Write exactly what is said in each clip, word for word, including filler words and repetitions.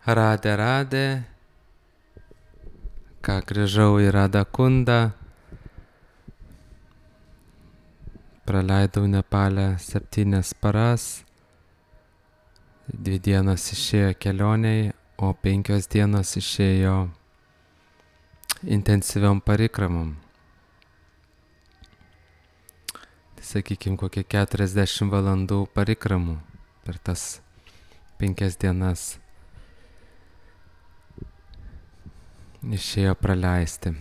Radė, radė, ką grįžau į Radakundą, praleidau Nepale septynias paras, dvi dienos išėjo kelioniai, o penkios dienos išėjo intensyviom parikramom. Tai sakykime, kokie keturiasdešimt valandų parikramų per tas penkias dienas išėjo praleisti.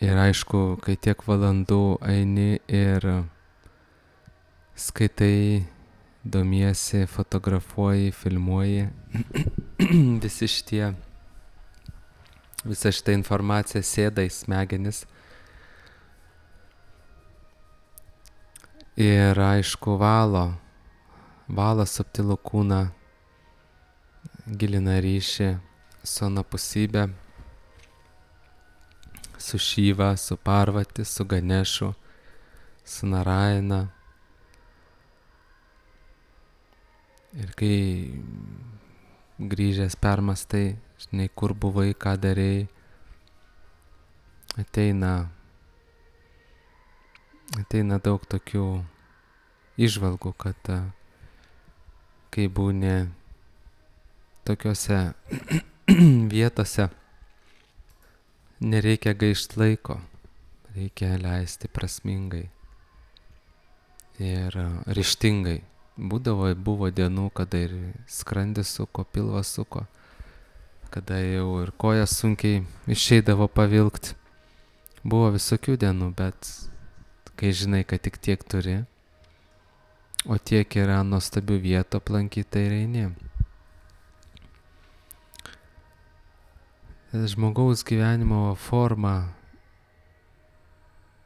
Ir aišku, kai tiek valandų eini ir skaitai, domiesi, fotografuoji, filmuoji, visi šitie, visa šita informacija sėda į smegenis. Ir aišku, valo, valo subtilų kūną, gilina ryšį su anapusybė, su Šiva, su Parvati, su Ganešu, su Narayana. Ir kai grįžęs permastai, žinai, kur buvai, ką darei, ateina, ateina daug tokių įžvalgų, kad kai būni tokiose vietose, nereikia gaišt laiko, reikia leisti prasmingai ir ryžtingai. Būdavo, buvo dienų, kada ir skrandis suko, pilvas suko, kada jau ir kojas sunkiai išeidavo pavilkt. Buvo visokių dienų, bet kai žinai, kad tik tiek turi, o tiek yra nuostabių vietų aplankyti, tai ir eini. Žmogaus gyvenimo formą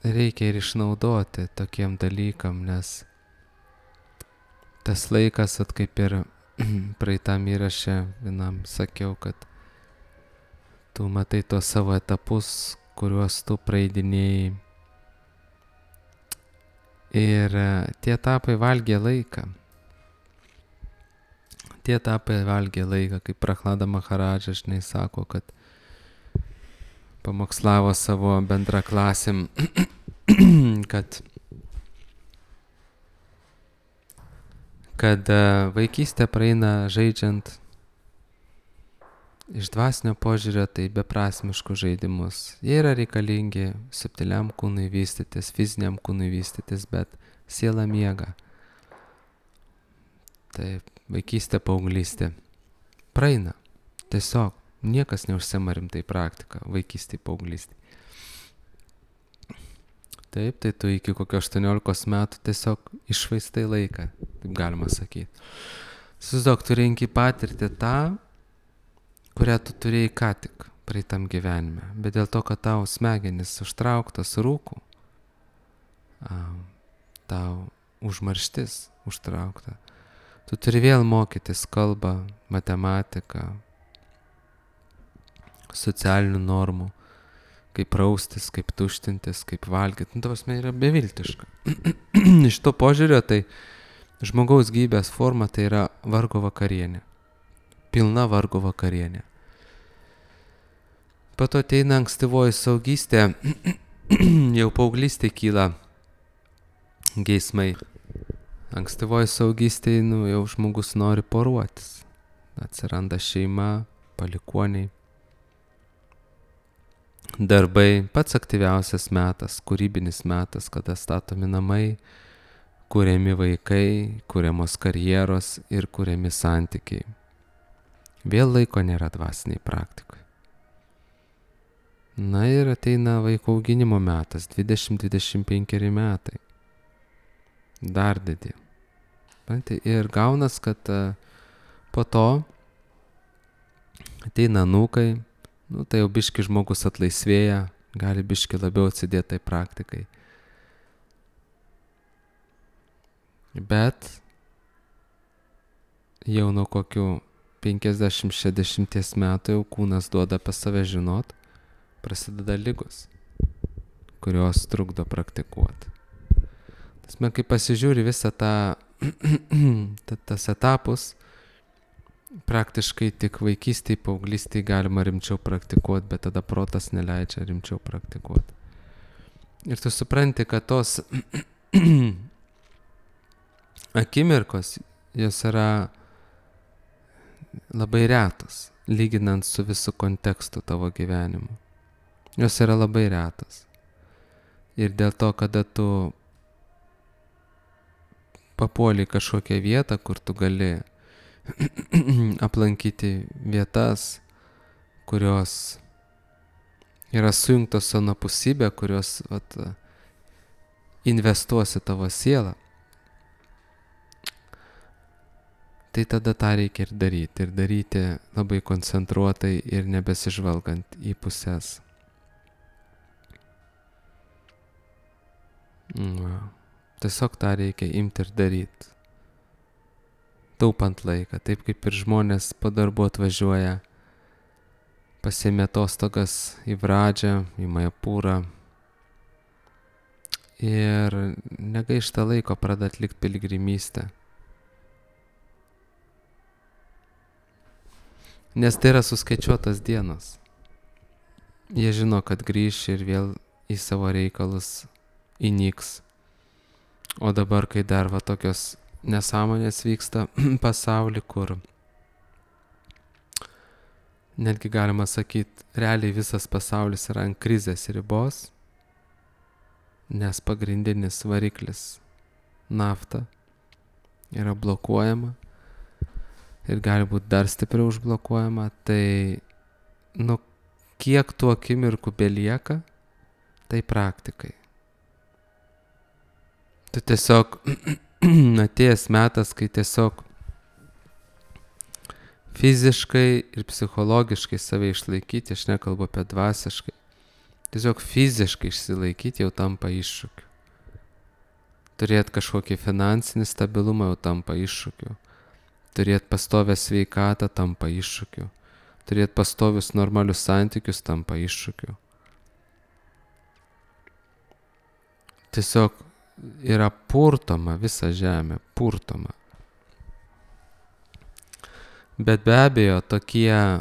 reikia ir išnaudoti tokiem dalykam, nes tas laikas, at kaip ir praeitam įraše vienam sakiau, kad tu matai tos savo etapus, kuriuos tu praeidinėjai. Ir tie etapai valgė laiką. Tie etapai valgė laiką, kaip Prahlada Maharadža, žinai, sako, kad pamokslavo savo bendraklasim, kad kad vaikystė praeina žaidžiant iš dvasinio požiūrio, tai beprasmiškus žaidimus. Jie yra reikalingi subtiliam kūnui vystytis, fiziniam kūnui vystytis, bet siela miega. Tai vaikystė, paauglystė praeina. Tiesiog niekas neužsiema rimtai praktika vaikystė, paauglystė. Taip, tai tu iki kokio aštuoniolikos metų tiesiog iššvaistai laiką, taip galima sakyti. Susidok, tu renki patirti tą, kurią tu turėjai ką tik praeitam gyvenime. Bet dėl to, kad tau smegenis užtrauktas rūkų, tau užmarštis užtraukta, tu turi vėl mokytis kalbą, matematiką, socialinių normų, kaip praustis, kaip tuštintis, kaip valgyti. Nu, tavasme yra beviltiška. Iš to požiūrio, tai žmogaus gyvybės forma tai yra vargo vakarienė. Pilna vargo vakarienė. Po to ateina ankstyvoji saugystė, jau paauglystė kyla geismai. Ankstyvoji saugystė, nu, jau žmogus nori poruotis. Atsiranda šeima, palikuoniai. Darbai, pats aktyviausias metas, kūrybinis metas, kada statomi namai, kuriami vaikai, kuriamos karjeros ir kuriami santykiai. Vėl laiko nėra dvasiniai praktikai. Na ir ateina vaiko auginimo metas, dvidešimt dvidešimt penki metai. Dar didė. Ir gaunas, kad po to ateina anūkai. Nu, tai jau biški žmogus atlaisvėja, gali biški labiau atsidėti tai praktikai. Bet jau nuo kokių penkiasdešimt šešiasdešimt metų jau kūnas duoda apie save žinot, prasideda ligos, kurios trukdo praktikuoti. Tas man, kai pasižiūri visą tą, tas etapus, praktiškai tik vaikystėje, paauglystėje galima rimčiau praktikuoti, bet tada protas neleidžia rimčiau praktikuoti. Ir tu supranti, kad tos akimirkos, jos yra labai retos, lyginant su visu kontekstu tavo gyvenimu. Jos yra labai retos. Ir dėl to, kada tu papuoli kažkokią vietą, kur tu gali aplankyti vietas, kurios yra sujungtos su anapusybė, kurios vat, investuosi tavo sielą, tai tada tą reikia ir daryti. Ir daryti labai koncentruotai ir nebesižvalgant į pusės. Va. Tiesiog tą reikia imti ir daryti. Taupant laiką, taip kaip ir žmonės po darbo atvažiuoja, pasiėmė atostogas į Vradžią, į Majapūrą ir negaišta laiko pradeda atlikti piligrimystę. Nes tai yra suskaičiuotas dienos. Jie žino, kad grįš ir vėl į savo reikalus įnyks. O dabar, kai dar va tokios nesąmonės vyksta pasaulį, kur netgi galima sakyti, realiai visas pasaulis yra ant krizės ribos, nes pagrindinis variklis nafta yra blokuojama ir gali būti dar stipriau užblokuojama, tai nu kiek tų akimirkų belieka, tai praktikai. Tu tiesiog atėjęs metas, kai tiesiog fiziškai ir psichologiškai save išlaikyti, aš nekalbu apie dvasiškai, tiesiog fiziškai išsilaikyti jau tampa iššūkiu. Turėti kažkokį finansinį stabilumą jau tampa iššūkiu. Turėti pastovę sveikatą tampa iššūkiu. Turėti pastovius normalius santykius tampa iššūkiu. Tiesiog yra purtoma visa žemė, purtoma. Bet be abejo, tokie,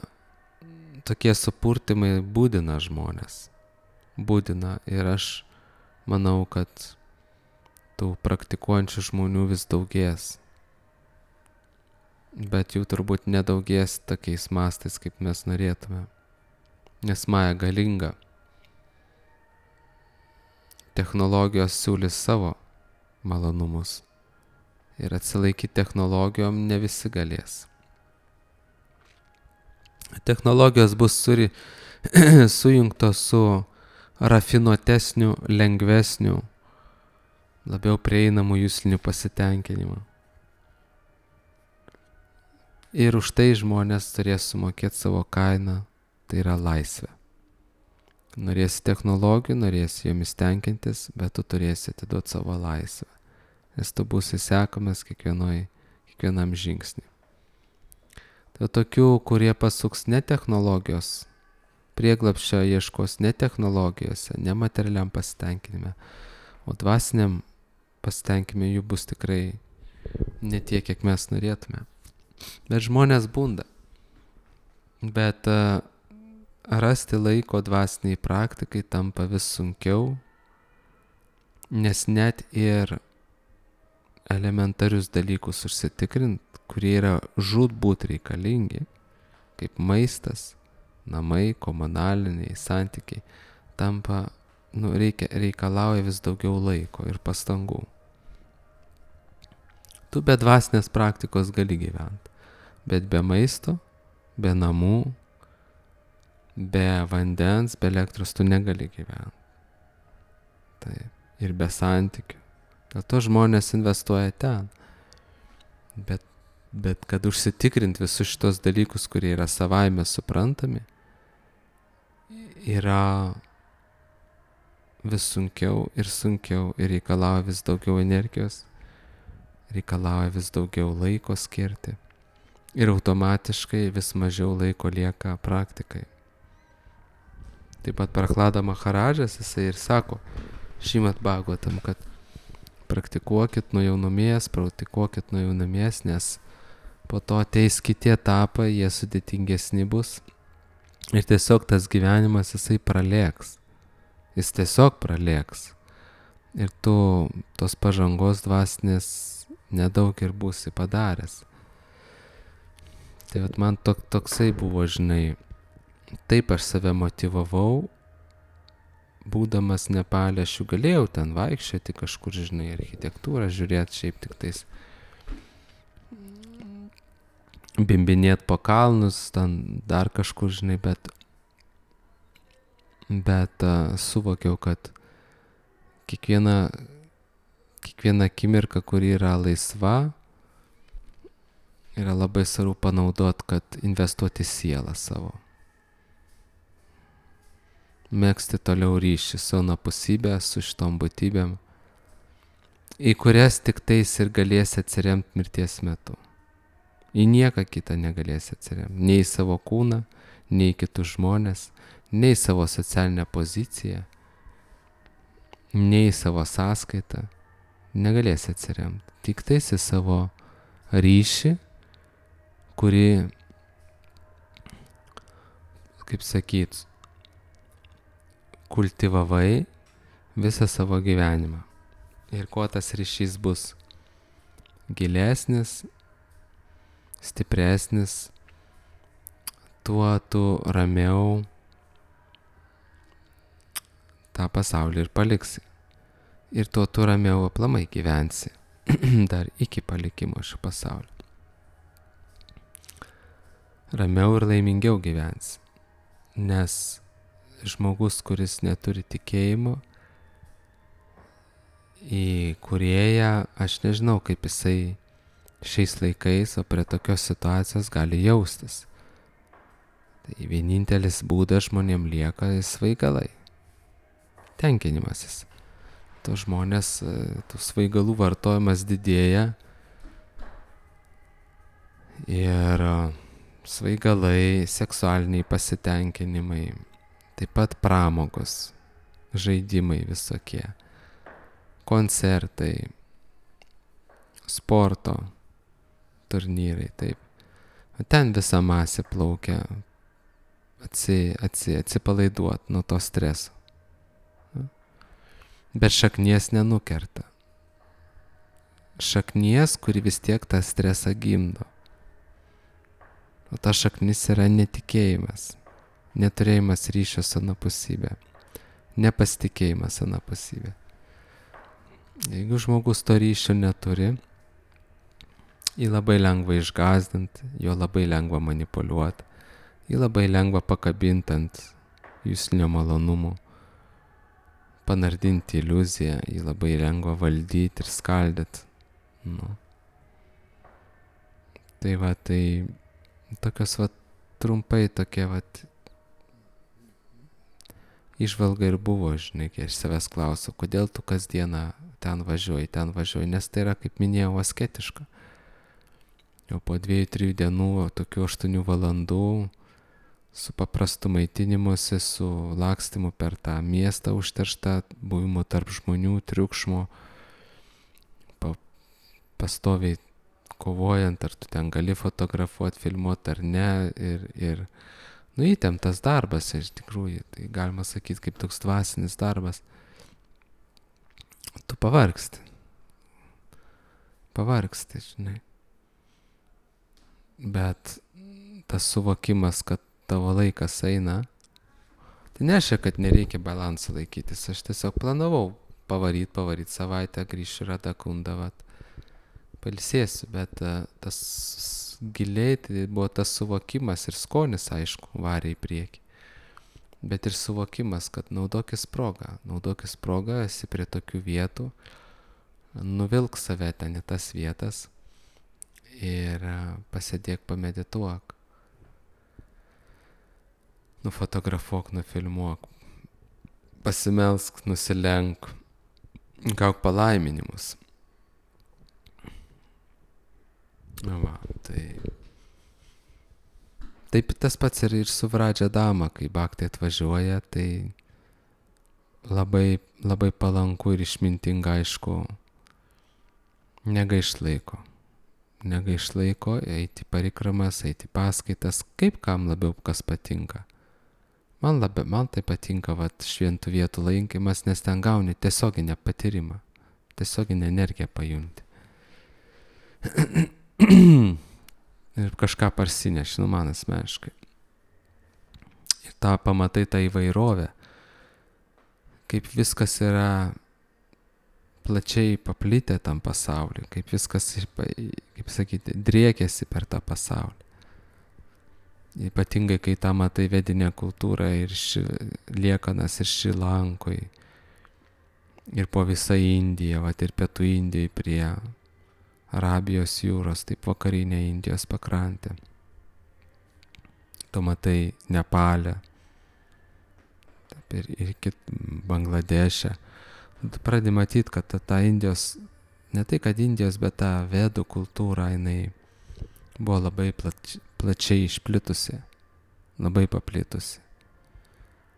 tokie supurtimai būdina žmonės. Būdina ir aš manau, kad tų praktikuojančių žmonių vis daugės. Bet jų turbūt nedaugės tokiais mastais, kaip mes norėtume. Nes Maja galinga. Technologijos siūlys savo malonumus. Ir atsilaikyti technologijom ne visi galės. Technologijos bus suri, sujungtos su rafinuotesniu, lengvesniu, labiau prieinamu jusliniu pasitenkinimu. Ir už tai žmonės turės sumokėti savo kainą, tai yra laisvė. Norėsi technologijų, norėsi jomis tenkintis, bet tu turėsi atiduoti savo laisvę, nes tu būsi sekamas kiekvienoj, kiekvienam žingsnį. Tai tokių, kurie pasuks ne technologijos, prieglapščio ieškos ne technologijose, ne materialiam pasitenkinime, o dvasiniam pasitenkinime jų bus tikrai ne tiek, kiek mes norėtume. Bet žmonės bunda. Bet uh, rasti laiko dvasiniai praktikai tampa vis sunkiau, nes net ir elementarius dalykus užsitikrint, kurie yra žūtbūt reikalingi, kaip maistas, namai, komunaliniai santykiai, tampa, nu, reikia, reikalauja vis daugiau laiko ir pastangų. Tu be dvasinės praktikos gali gyventi, bet be maisto, be namų, be vandens, be elektros tu negali gyventi. Taip. Ir be santykių. Dėl to žmonės investuoja ten. Bet, bet kad užsitikrint visus šitos dalykus, kurie yra savaime suprantami, yra vis sunkiau ir sunkiau ir reikalauja vis daugiau energijos, reikalauja vis daugiau laiko skirti ir automatiškai vis mažiau laiko lieka praktikai. Taip pat Prahlada Maharadžas, jisai ir sako Šrimad Bhagavatam, kad praktikuokit nuo jaunumės, praktikuokit nuo jaunumės, nes po to ateis kiti etapai, jie sudėtingesni bus. Ir tiesiog tas gyvenimas jisai pralėks. Jis tiesiog pralėks. Ir tu tos pažangos dvasinės nedaug ir būsi padaręs. Tai vat man tok, toksai buvo, žinai, taip aš save motyvavau, būdamas Nepale, aš jau galėjau ten vaikščioti kažkur, žinai, architektūrą žiūrėti, šiaip tik tais bimbinėt po kalnus, ten dar kažkur, žinai, bet, bet uh, suvokiau, kad kiekviena, kiekviena akimirka, kuri yra laisva, yra labai svarbu panaudot, kad investuoti sielą savo. Megzti toliau ryšį su anapusybė, su šitom būtybėm, į kurias tik tais ir galėsi atsiremti mirties metu. Į nieką kitą negalėsi atsiremti. Nei į savo kūną, nei į kitus žmonės, nei į savo socialinę poziciją, nei į savo sąskaitą. Negalėsi atsiremti. Tik tais į savo ryšį, kurį, kaip sakyt, kultivavai visą savo gyvenimą. Ir kuo tas ryšys bus gilesnis, stipresnis, tuo tu ramiau tą pasaulį ir paliksi. Ir tuo tu ramiau aplamai gyvensi dar iki palikimo šio pasaulio. Ramiau ir laimingiau gyvensi. Nes žmogus, kuris neturi tikėjimo į Kūrėją, aš nežinau, kaip jisai šiais laikais, o prie tokios situacijos gali jaustis. Tai vienintelis būdas žmonėm lieka svaigalai. Tenkinimasis. To žmonės, tų svaigalų vartojimas didėja ir svaigalai, seksualiniai pasitenkinimai, taip pat pramogos, žaidimai visokie, koncertai, sporto turnyrai, taip. Ten visa masė plaukia atsi, atsi, atsipalaiduot nuo to streso. Bet šaknies nenukerta. Šaknies, kuri vis tiek tą stresą gimdo. O ta šaknis yra netikėjimas, neturėjimas ryšio su anapusybė, nepasitikėjimas anapusybė. Jeigu žmogus to ryšio neturi, jį labai lengva išgąsdinti, jo labai lengva manipuliuoti, jį labai lengva pakabinti ant juslinio malonumų, panardinti iliuziją, jį labai lengva valdyti ir skaldyti. Nu. Tai va, tai tokios va trumpai tokie va įžvalga ir buvo, žinai, kai aš savęs klausiau, kodėl tu kasdieną ten važiuoji, ten važiuoji, nes tai yra, kaip minėjau, asketiška. Jau po dviejų, trijų dienų, tokių aštuonių valandų, su paprastu maitinimuose, su lakstymu per tą miestą užterštą, buvimu tarp žmonių, triukšmo, pa, pastoviai kovojant, ar tu ten gali fotografuoti, filmuoti ar ne, ir, ir nu, įtemptas darbas, iš tikrųjų, tai galima sakyti, kaip toks dvasinis darbas. Tu pavargsti. Pavargsti, žinai. Bet tas suvokimas, kad tavo laikas eina, tai nereiškia, kad nereikia balansą laikytis. Aš tiesiog planavau pavaryt, pavaryt savaitę, grįšiu Radha Kundą, vat, pailsėsiu, bet uh, tas giliai tai buvo tas suvokimas ir skonis, aišku, varė į priekį. Bet ir suvokimas, kad naudokis progą, naudokis progą, esi prie tokių vietų, nuvilk save ten į tas vietas ir pasėdėk, pamedituok, nufotografuok, nufilmuok, pasimelsk, nusilenk, gauk palaiminimus. Va, tai taip tas pats ir, ir su Vradžia Dama, kai Bhakti atvažiuoja, tai labai, labai palanku ir išmintinga, aišku, negaišt laiko. negaiš laiko, eiti parikramas, eiti paskaitas, kaip kam labiau kas patinka. Man labiau, man tai patinka vat, šventų vietų lankymas, nes ten gauni tiesioginę patyrimą, tiesioginę energiją pajunti. Ir kažką parsineši, nu man asmeniškai. Ir tą pamatai tą įvairovę, kaip viskas yra plačiai paplitę tam pasauliu, kaip viskas, kaip sakyti, driekiasi per tą pasaulį. Ypatingai, kai tą matai vedinę kultūrą ir ši, liekanas ir Šrilankoj, ir po visą Indiją, vat, ir pietų Indijai prie Arabijos jūros, taip vakarinė Indijos pakrantė. Tu matai Nepalę, taip, ir, ir kit Bangladešę. Tu pradedi matyti, kad ta, ta Indijos, ne tai kad Indijos, bet ta vedų kultūra, jinai buvo labai plač, plačiai išplitusi, labai paplitusi.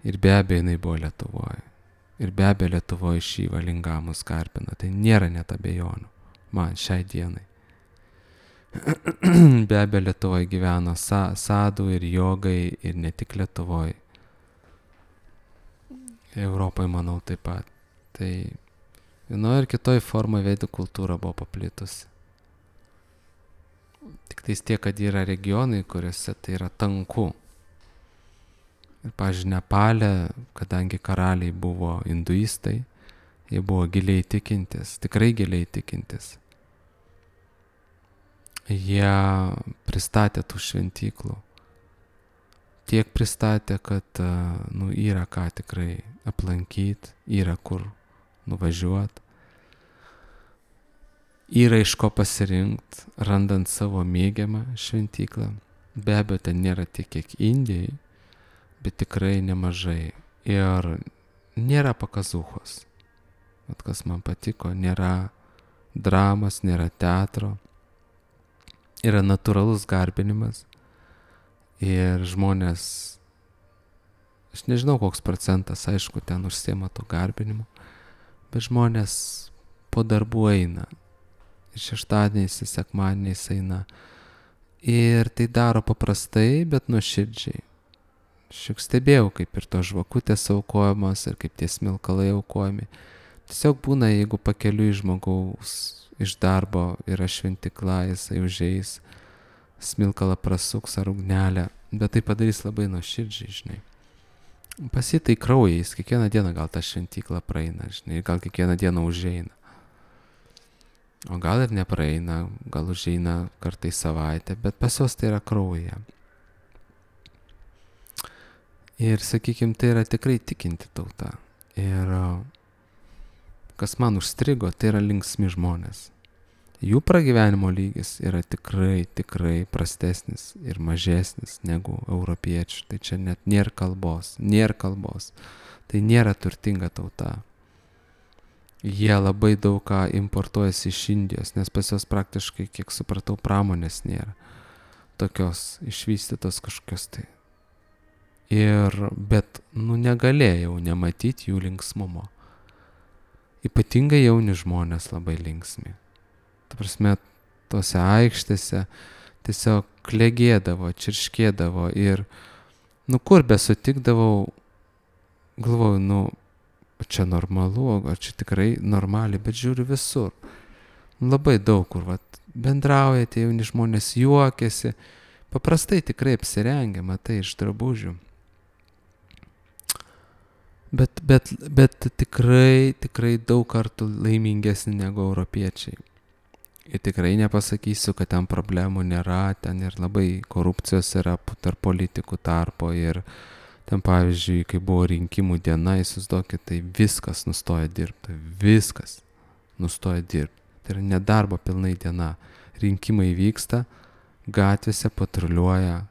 Ir be abejo jinai buvo Lietuvoje. Ir be abejo Lietuvoje šį valingamus garbino. Tai nėra net abejonių. Man šiai dienai. Be abejo Lietuvoje gyveno sa, sadų ir jogai ir ne tik Lietuvoje. Europoje, manau, taip pat. Tai vienoje ir kitoje formoje vedų kultūra buvo paplitusi. Tik tais tiek, kad yra regionai, kuriuose tai yra tanku. Ir, pavyzdžiui, Nepale, kadangi karaliai buvo hinduistai, jie buvo giliai tikintis, tikrai giliai tikintis. Jie pristatė tų šventyklų. Tiek pristatė, kad nu, yra ką tikrai aplankyti, yra kur nuvažiuoti. Yra iš ko pasirinkti, randant savo mėgiamą šventyklą. Be abejo, ten nėra tiek, kiek Indijai, bet tikrai nemažai. Ir nėra pakazuchos. Vat kas man patiko, nėra dramos, nėra teatro. Yra natūralus garbinimas. Ir žmonės, aš nežinau koks procentas, aišku, ten užsiema to garbinimu, bet žmonės po darbų eina. Ir šeštadieniais, ir sekmadieniais eina. Ir tai daro paprastai, bet nuoširdžiai. Šiek stebėjau, kaip ir to žvakutės aukojamos, ir kaip tie smilkalai aukojami. Tiesiog būna, jeigu pakeliui žmogaus iš darbo yra šventykla, jisai užeis, smilkalą prasuks ar ugnelę, bet tai padarys labai nuoširdžiai, žinai. Pas jį tai kraujais, kiekvieną dieną gal tą šventyklą praeina, žinai, gal kiekvieną dieną užeina. O gal ir nepraeina, gal užeina kartai savaitę, bet pas juos tai yra kraujyje. Ir, sakykime, tai yra tikrai tikinti tauta. Ir kas man užstrigo, tai yra linksmi žmonės. Jų pragyvenimo lygis yra tikrai, tikrai prastesnis ir mažesnis negu europiečių. Tai čia net nėra kalbos, nėra kalbos. Tai nėra turtinga tauta. Jie labai daug ką importuojasi iš Indijos, nes pas juos praktiškai, kiek supratau, pramonės nėra. Tokios išvystytos kažkokios tai. Ir, bet, nu, negalėjau nematyti jų linksmumo. Ypatingai jauni žmonės labai linksmi. Ta prasme, tose aikštėse tiesiog klegėdavo, čirškėdavo ir, nu, kur besutikdavau, galvoju, nu, čia normalu, ar čia tikrai normaliai, bet žiūriu visur. Labai daug kur, vat, bendrauja tie jauni žmonės, juokiasi, paprastai tikrai apsirengia, matai, iš drabužių. Bet, bet, bet tikrai, tikrai daug kartų laimingesni negu europiečiai. Ir tikrai nepasakysiu, kad ten problemų nėra, ten ir labai korupcijos yra tarp politikų tarpo ir ten, pavyzdžiui, kai buvo rinkimų diena, įsivaizduokit, tai viskas nustoja dirbti, viskas nustoja dirbti. Tai yra nedarbo pilnai diena. Rinkimai vyksta, gatvėse patruliuoja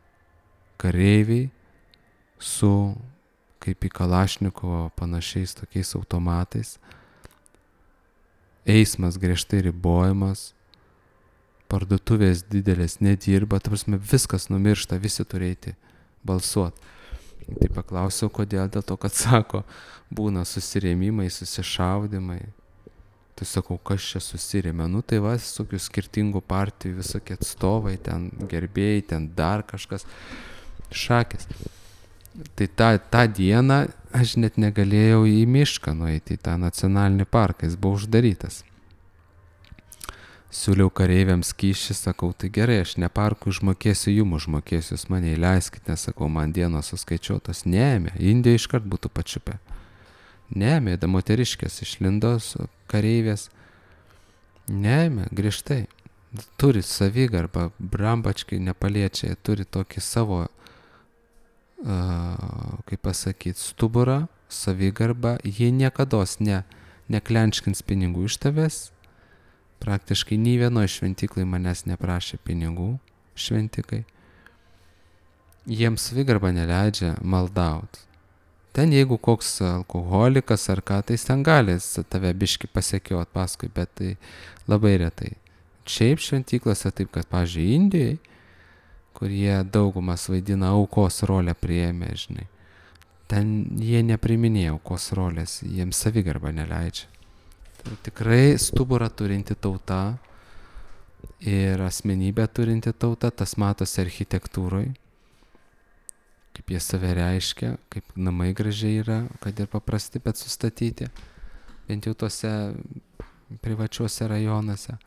kareiviai su, kaip į Kalašnikovo panašiais tokiais automatais. Eismas griežtai ribojamas, parduotuvės didelės nedirba, ta prasme viskas numiršta, visi turėti balsuoti. Tai paklausiau, kodėl, dėl to, kad sako, būna susirėmimai, susišaudimai. Tai sakau, kas čia susirėmė? Nu tai va, visokių skirtingų partijų, visokie atstovai, ten gerbėjai, ten dar kažkas, šakės. Tai tą, tą dieną aš net negalėjau į mišką nueiti, į tą nacionalinį parką, jis buvo uždarytas. Siūliau kareiviams kyšį, sakau, tai gerai, aš ne parkui užmokėsiu, jum užmokėsiu, jūs mane įleiskit, nesakau, man dienos suskaičiuotos. Neėmė, Indija iškart būtų pačiupę. Neėmė, da moteriškės išlindo su kareivės. Neėmė, griežtai. Turi savigarbą, brambačkai nepaliečiai, turi tokį savo, uh, kaip pasakyti, stuburą, savigarbą. Jie niekados ne, neklenčkins pinigų iš tavęs. Praktiškai nei vienoje šventyklai manęs neprašė pinigų, šventikai. Jiems savigarba neleidžia maldaut. Ten jeigu koks alkoholikas ar ką, tai ten gali tave biški pasekiot paskui, bet tai labai retai. Šiaip šventyklose taip, kad, pavyzdžiui, Indijai, kur jie daugumas vaidina aukos rolę priėmė, žinai. Ten jie nepriminėja aukos rolės, jiems savigarba neleidžia. Tai tikrai stuburą turinti tauta ir asmenybę turinti tauta, tas matosi architektūroj, kaip jie save reiškia, kaip namai gražiai yra, kad ir paprasti, bet sustatyti, bent jau tose privačiuose rajonuose.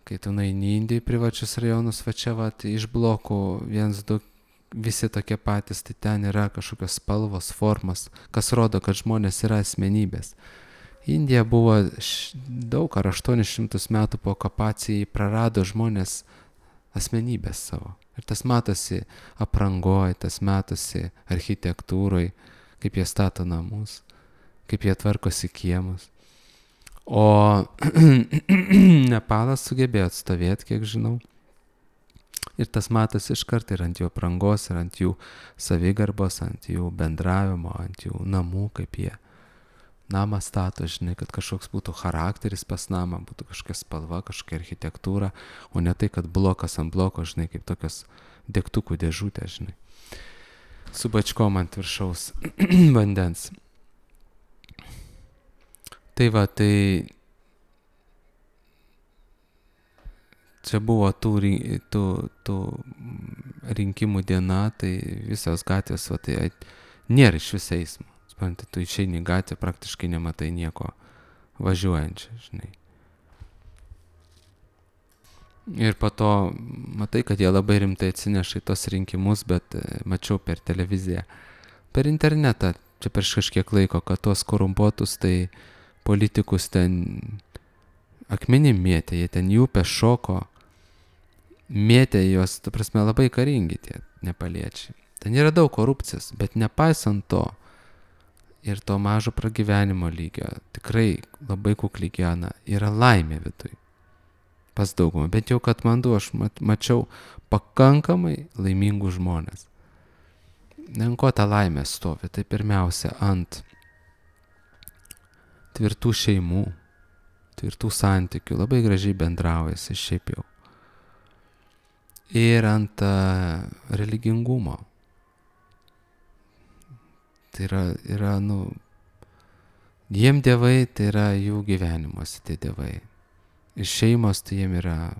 Kai tu naini Indijai privačius rajonus, va čia va, iš blokų viens, du, visi tokie patys, tai ten yra kažkokios spalvos, formos, kas rodo, kad žmonės yra asmenybės. Indija buvo š, daug ar aštuonis šimtus metų po okupacijai prarado žmonės asmenybės savo. Ir tas matosi aprangoj, tas matosi architektūroj, kaip jie stato namus, kaip jie tvarkosi kiemus. O Nepalas sugebėjo atstovėti, kiek žinau. Ir tas matosi iš karto ir ant jų aprangos, ir ant jų savigarbos, ant jų bendravimo, ant jų namų, kaip jie namą stato, žinai, kad kažkoks būtų charakteris pas namą, būtų kažkokia spalva, kažkokia architektūra, o ne tai, kad blokas ant bloko, žinai, kaip tokios degtukų dėžutė, žinai, su bačkom ant viršaus vandens. Tai va, tai čia buvo tų, tų, tų rinkimų diena, tai visos gatvės, va, tai nėra iš vis eismo. Tu išeini gatvę, praktiškai nematai nieko važiuojančio, žinai. Ir po to matai, kad jie labai rimtai atsineša į tos rinkimus, bet mačiau per televiziją, per internetą, čia prieš kažkiek laiko, kad tos korumpuotus, tai politikus ten akmenim mėtė, jie ten jų pešoko, mėtė juos, tu prasme, labai karingi tie nepaliečiai. Ten yra daug korupcijos, bet nepaisant to, ir to mažo pragyvenimo lygio, tikrai labai kukli gyvena, yra laimė viduj. Pas daugumą, bent jau Katmandu aš mat, mačiau pakankamai laimingų žmonės. Ant ko ta laimė stovi, tai pirmiausia ant tvirtų šeimų, tvirtų santykių, labai gražiai bendraujasi šiaip jau. Ir ant uh, religingumo. Tai yra, yra, nu, jiem dievai, tai yra jų gyvenimuose tie dievai. Ir šeimos, tai jiem yra,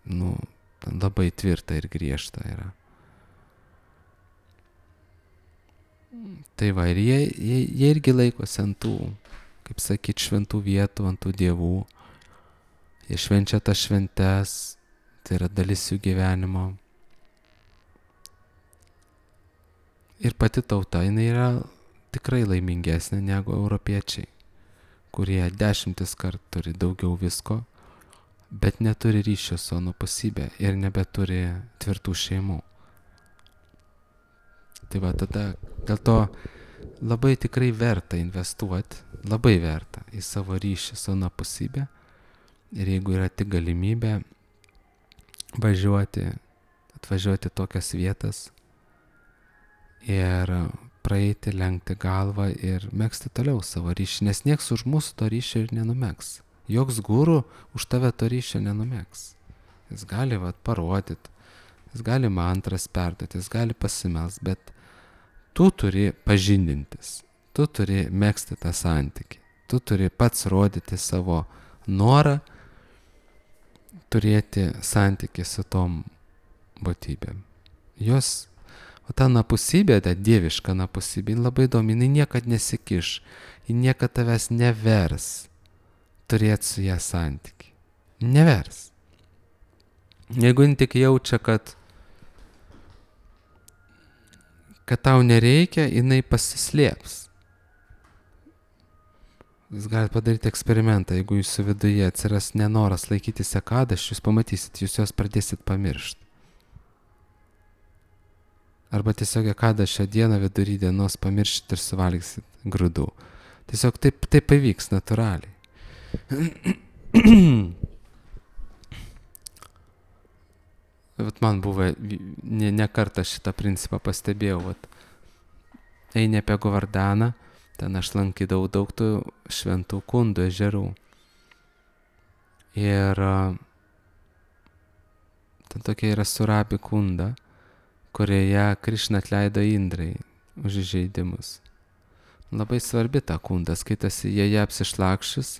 nu, labai tvirta ir griežta yra. Tai va, ir jie, jie, jie irgi laikosi ant tų, kaip sakyt, šventų vietų, ant tų dievų. Jie švenčia tas šventes, tai yra dalis jų gyvenimo. Ir pati tauta, jinai yra tikrai laimingesnė negu europiečiai, kurie dešimtis kart turi daugiau visko, bet neturi ryšio su anapusybė ir nebeturi tvirtų šeimų. Tai va, tada dėl to labai tikrai verta investuoti, labai verta į savo ryšį su anapusybė. Ir jeigu yra tik galimybė važiuoti, atvažiuoti tokias vietas, ir praeiti, lenkti galvą ir megzti toliau savo ryšį, nes nieks už mūsų to ryšio ir nenumegs. Joks guru už tave to ryšio nenumegs. Jis gali vat, parodyt, jis gali mantras perduoti, jis gali pasimels, bet tu turi pažindintis, tu turi megzti tą santykį. Tu turi pats rodyti savo norą turėti santykį su tom būtybėm. Jos, o ta napusybė, ta dieviška napusybė, labai įdomi, jinai niekad nesikiš, ji niekad tavęs nevers turėti su ją santykį. Nevers. Jeigu jin tik jaučia, kad kad tau nereikia, jinai pasislėps. Jūs galite padaryti eksperimentą, jeigu jūsų viduje atsiras nenoras laikyti sekadaščių, jūs pamatysit, jūs jos pradėsit pamiršti. Arba tiesiog ekadašio dieną vidury dienos pamiršit ir suvalgysit grūdų. Tiesiog taip, taip pavyks natūraliai. Vat man buvo, ne, ne kartą šitą principą pastebėjau, vat, eini apie Govardaną, ten aš lankydavau daug tų šventų kundų, ežerų. Ir ten tokia yra Surabi kunda, kurioje Krišna atleido Indrai už įžeidimus. Labai svarbi ta kunda, skaitasi joje apsišlakščius,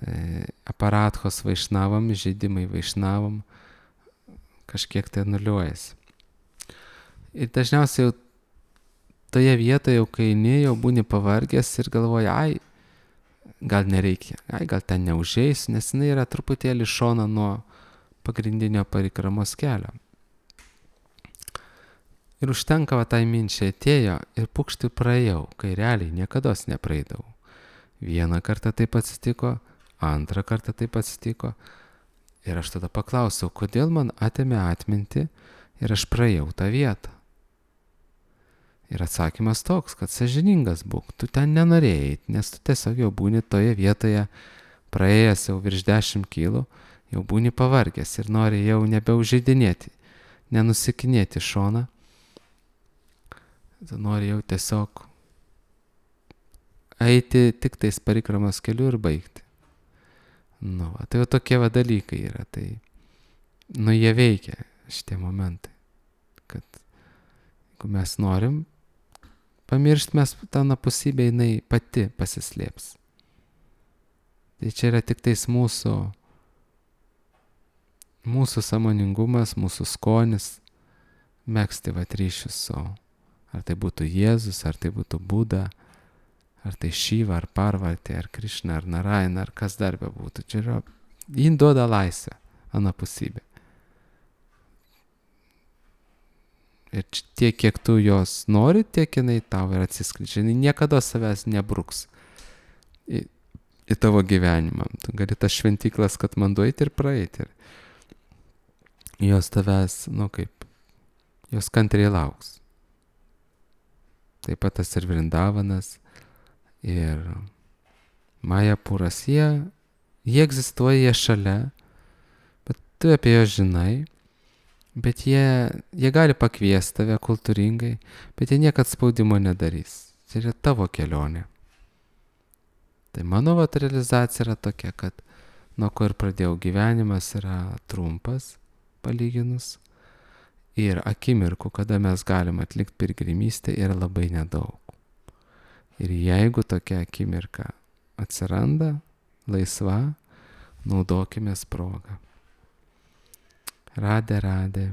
e, aparathos vaišnavam, įžeidimai vaišnavam, kažkiek tai nuliuojasi. Ir dažniausiai jau toje vietoje, jau kai eini, jau būni pavargęs ir galvoji, ai, gal nereikia, ai, gal ten neužeisiu, nes jinai yra truputėlį šona nuo pagrindinio parikramos kelio. Ir užtenka va tai minčiai atėjo ir pukšti praėjau, kai realiai niekados nepraeidavau. Vieną kartą taip atsitiko, antrą kartą taip atsitiko. Ir aš tada paklausiau, kodėl man atėmė atmintį ir aš praėjau tą vietą. Ir atsakymas toks, kad sąžiningas būk, tu ten nenorėjai, nes tu tiesiog jau būni toje vietoje, praėjęs jau virš dešimt kilų, jau būni pavargęs ir nori jau nebeužeidinėti, nenusikinėti šoną. Tu nori jau tiesiog eiti tik tais parikramos keliu ir baigti. Nu, va, tai jau tokie va dalykai yra, tai, nu, jie veikia, šitie momentai, kad jeigu mes norim pamiršti, mes tą napusybę jinai pati pasislėps. Tai čia yra tik tais mūsų, mūsų sąmoningumas, mūsų skonis, megzti va ryšius su, ar tai būtų Jėzus, ar tai būtų Buda, ar tai Šiva, ar Parvatė, ar Krišna, ar Narayana, ar kas dar bebūtų. Čia yra, jin duoda laisvę, anapusybė. Ir tiek, kiek tu jos nori, tiek jinai tau ir atsiskleidžia. Jinai niekada savęs nebruks į, į tavo gyvenimą. Tu gali tas šventyklas, kad man duoti ir praeiti. Ir jos tavęs, nu kaip, jos kantriai lauks. Taip pat tas ir Vrindavanas, ir Majapuras, jie, jie egzistuoja, jie šalia, bet tu apie juos žinai, bet jie, jie gali pakviesti tave kultūringai, bet jie niekad spaudimo nedarys. Tai yra tavo kelionė. Tai mano vat realizacija yra tokia, kad nuo ko ir pradėjau gyvenimas yra trumpas, palyginus, ir akimirkų, kada mes galim atlikti piligrimystę, yra labai nedaug. Ir jeigu tokia akimirka atsiranda, laisva, naudokimės progą. Radė, radė.